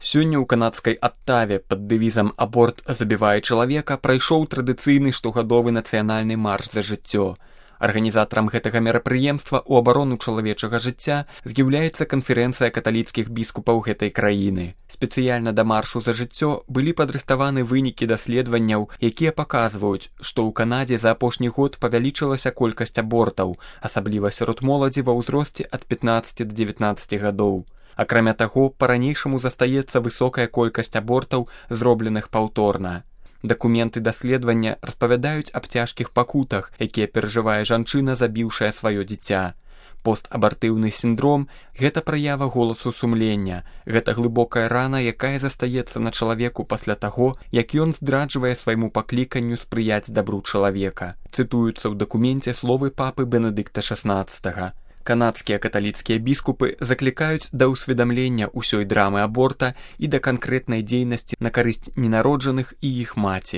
Сёння ў канадскай Аттаве пад дэвізам «Аборт забівае чалавека» прайшоў традыцыйны штогадовы нацыянальны марш за жыццё. Арганізатарам гэтага мерапрыемства ў абарону чалавечага жыцця з'яўляецца канферэнцыя каталіцкіх біскупаў гэтай краіны. Спецыяльна да маршу за жыццё былі падрыхтаваны вынікі даследаванняў, якія паказваюць, што ў Канадзе за апошні год павялічылася колькасць абортаў, асабліва сярод моладзі ва ўзросце ад 15 да 19 гадоў. Акрамя таго, па-ранейшаму застаецца высокая колькасць абортаў, зробленых паўторна. Дакументы даследавання распавядаюць аб цяжкіх пакутах, якія перажывае жанчына, забіўшая сваё дзіця. Постабартыўны сіндром – гэта праява голасу сумлення, гэта глыбокая рана, якая застаецца на чалавеку пасля таго, як ён здраджвае свайму пакліканню спрыяць дабру чалавека. Цытуюцца ў дакуменце словы папы Бенедыкта XVI. Канадскія каталіцкія біскупы заклікаюць да ўсведамлення ўсёй драмы аборта і да канкрэтнай дзейнасці на карысць ненароджаных і іх маці.